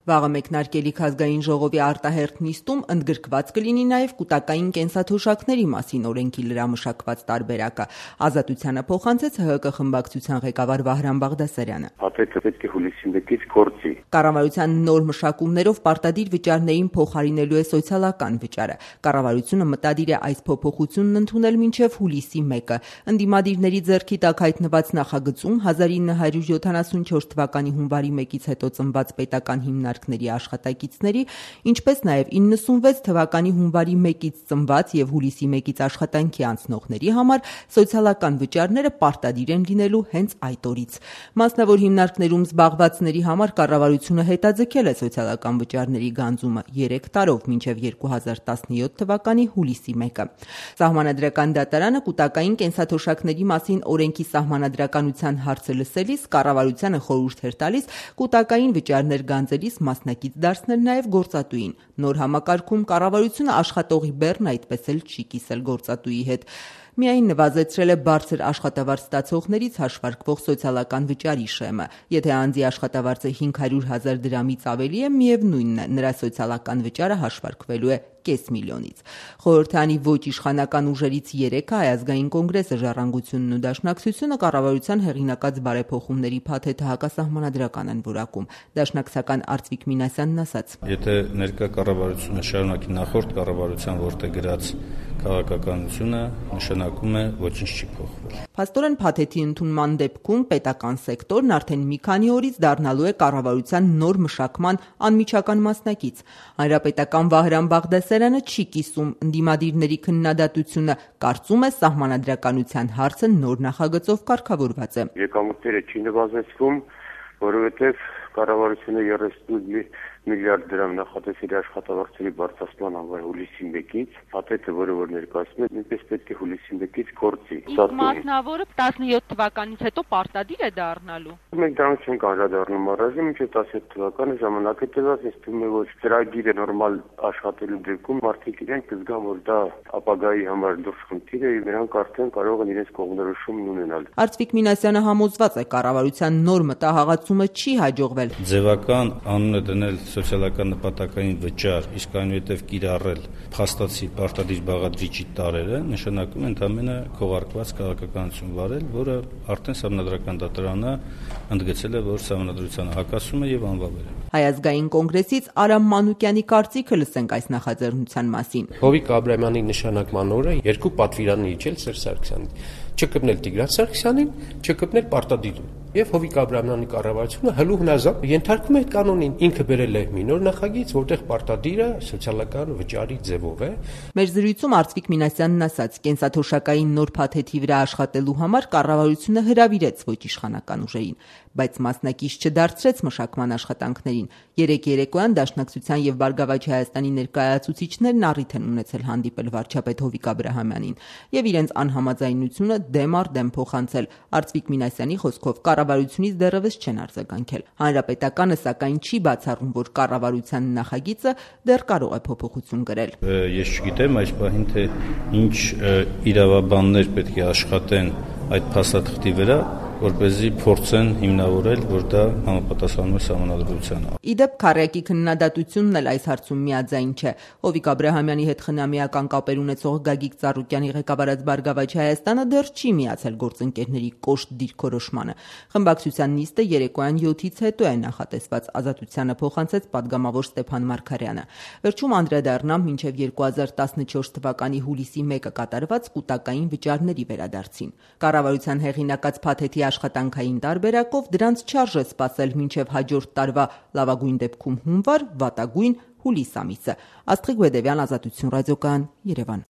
Վաղը մեկնարկելիք ազգային ժողովի արտահերթ նիստում ընդգրկված կլինի նաև կուտակային կենսաթոշակների մասին օրենքի լրամշակված տարբերակը։ Ազատությանը փոխանցեց ՀՀԿ խմբակցության ղեկավար Վահրամ Բաղդասարյանը։ Փաթեթը պետք է հուլիսի 1-ից գործի։ Կառավարության նոր մշակումներով պարտադիր վճարներին փոխարինելու է սոցիալական վճարը։ Կառավարությունը մտադիր է այս փոփոխությունն ընդունել մինչև հուլիսի 1-ը։ Ընդդիմադիրների ձեռքի տակ հայտնված նախագծում 1974 թվականի հունվարի 1-ից հետո ծնված պետական հիմնարկների աշխատակիցների, ինչպես նաև 96 թվականի հունվարի 1-ից ծնված եւ հուլիսի 1-ից աշխատանքի անցնողների համար սոցիալական վճարները պարտադիր են լինելու հենց այդ օրից։ Մասնավոր հիմնարկներում զբաղվածների համար կառավարությունը հետաձգել է սոցիալական վճարների գանձումը 3 տարով մինչև 2017 թվականի հուլիսի 1-ը։ Սահմանադրական դատարանը կուտակային կենսաթոշակների մասին օրենքի սահմանադրականության հարցը լսելիս կառավարությանը խորհուրդ էր տալիս կուտակային վճարներ գանձելիս մասնակից դարձնել նաև գործատուին։ Նոր համակարգում կառավարությունը աշխատողի բեռն այդպես էլ չի կիսել գործատուի հետ։ Միայն նվազեցրել է բարձր աշխատավարձ ստացողներից հաշվարկվող սոցիալական վճարի շեմը։ Եթե անձի աշխատավարձը 500,000 դրամից ավելի է, միևնույնն է, նրա սոցիալական վճարը հաշվարկվելու է $500,000-ից։ Խորհրդանի ոչ իշխանական ուժերից 3-ը Հայ ազգային կոնգրեսը, Ժառանգությունն ու Դաշնակցությունը կառավարության հեղինակած բարեփոխումների փաթեթը հակասահմանադրական են որակում։ Դաշնակցական Արծվիկ Մինասյանն ասաց. Եթե ներկա կառավարությունը շարունակի նախորդ կառավարության ворտե գրած քաղաքականությունը, նշանակում է ոչինչ չի փոխվել։ Փաստորեն փաթեթի ընդունման դեպքում պետական սեկտորն արդեն մի քանի օրից դառնալու է կառավարության նոր մշակման անմիջական մասնակից։ Հանրապետական Վահրամ Բաղդասարյանը չի կիսում ընդդիմադիրների քննադատությունը, կարծում է սահմանադրականության հարցը նոր նախագծով կարգավորված է։ Եկամուտները չի նվազեցվում, որովհետև կառավարությունը 38 միլիարդ դրամ նախատեսել է աշխատավարձերի բարձրացման համար հուլիսի 1-ից, փաթեթը, որը որ ներկայացնում է, նույնպես պետք է հուլիսի 1-ից գործի։ Իսկ մասնավորը 17 թվականից հետո պարտադիր է դառնալու։ Մենք դրանից չենք անդրադառնում առայժմ, մինչև 17 թվականը ժամանակ է տրված, ինձ թվում է, որ ծրագիրը նորմալ աշխատելու դեպքում մարդիկ իրենք կզգան, որ դա ապագայի համար դուրս խնդիր է, եւ նրանք արդեն կարող են իրենց կողմնորոշումն ունենալ։ Արծվիկ Մինասյանը համոզված է, կառավարության նոր մտահղացումը չի հաջողվել։ Ձևական անուն է դնել սոցիալական նպատակային վճար, իսկ այնուհետև կիրառել փաստացի պարտադիր բաղադրիչի տարերը, նշանակում է ընդամենը քողարկված քաղաքականություն վարել, որը արդեն Սահմանադրական դատարանը ընդգծել է, որ Սահմանադրությանը հակասում է եւ անվավեր է։ Հայ ազգային կոնգրեսից Արամ Մանուկյանի կարծիքը լսենք այս նախաձեռնության մասին։ Հովիկ Աբրահամյանի նշանակման օրը երկու պատվիրան իջել Սերժ Սարգսյանին, չկպնել Տիգրան Սարգսյանին, չկպնել պարտադիրին։ Եվ Հովիկ Աբրահամյանի կառավարությունը հլու հնազանդ ենթարկում է կանոնին, ինքը բերել է մի նոր նախագիծ, որտեղ պարտադիրը սոցիալական վճարի ձևով է։ Մեր զրույցում Արծվիկ Մինասյանն ասաց, կենսաթոշակային նոր փաթեթի վրա աշխատելու համար կառավարությունը հրավիրեց ոչ իշխանական ուժերին, բայց մասնակից չդարձրեց մշակման աշխատանքներին։ Երեկ երեկոյան Դաշնակցության եւ Բարգավաճ Հայաստանի ներկայացուցիչներն առիթ են ունեցել հանդիպել վարչապետ Հովիկ Աբրահամյանին եւ իրենց անհամաձայնությունը դեմ առ դեմ փոխանցել։ Արծվիկ Մինասյանի խոսքով կառավարությունից դեռևս չեն արձագանքել։ Հանրապետականը սակայն չի բացառում, որ կառավարության նախագիծը դեռ կարող է փոփոխություն կրել։ Ես չգիտեմ այս պահին թե ինչ իրավաբաններ պետք է աշխատեն այդ փաստաթղթի վրա, որպեսզի փորձեն հիմնավորել, որ դա համապատասխանում է Սահմանադրությանը։ Իդեպ քառյակի քննադատությունն էլ այս հարցում միաձայն չէ։ Հովիկ Աբրահամյանի հետ խնամիական կապեր ունեցող Գագիկ Ծառուկյանի ղեկավարած Բարգավաճ Հայաստանը դեռ չի միացել գործընկերների կոշտ դիրքորոշմանը։ Խմբակցության նիստը երեկոյան 7-ից հետո է նախատեսված, Ազատությանը փոխանցեց падգամավոր Ստեփան Մարգարյանը։ Վերջում անդրադառնամ մինչև 2014 թվականի հուլիսի 1-ը կատարված կուտակային վճարների վերադարձին։ Կառավարության հեղինակած փաթեթի աշխատանքային տարբերակով դրանց չարժե սպասել մինչև հաջորդ տարվա լավագույն դեպքում հունվար, վատագույն հուլիս ամիսը։ Աստղիկ Բեդևյան, Ազատություն ռադիոկայան, Երևան։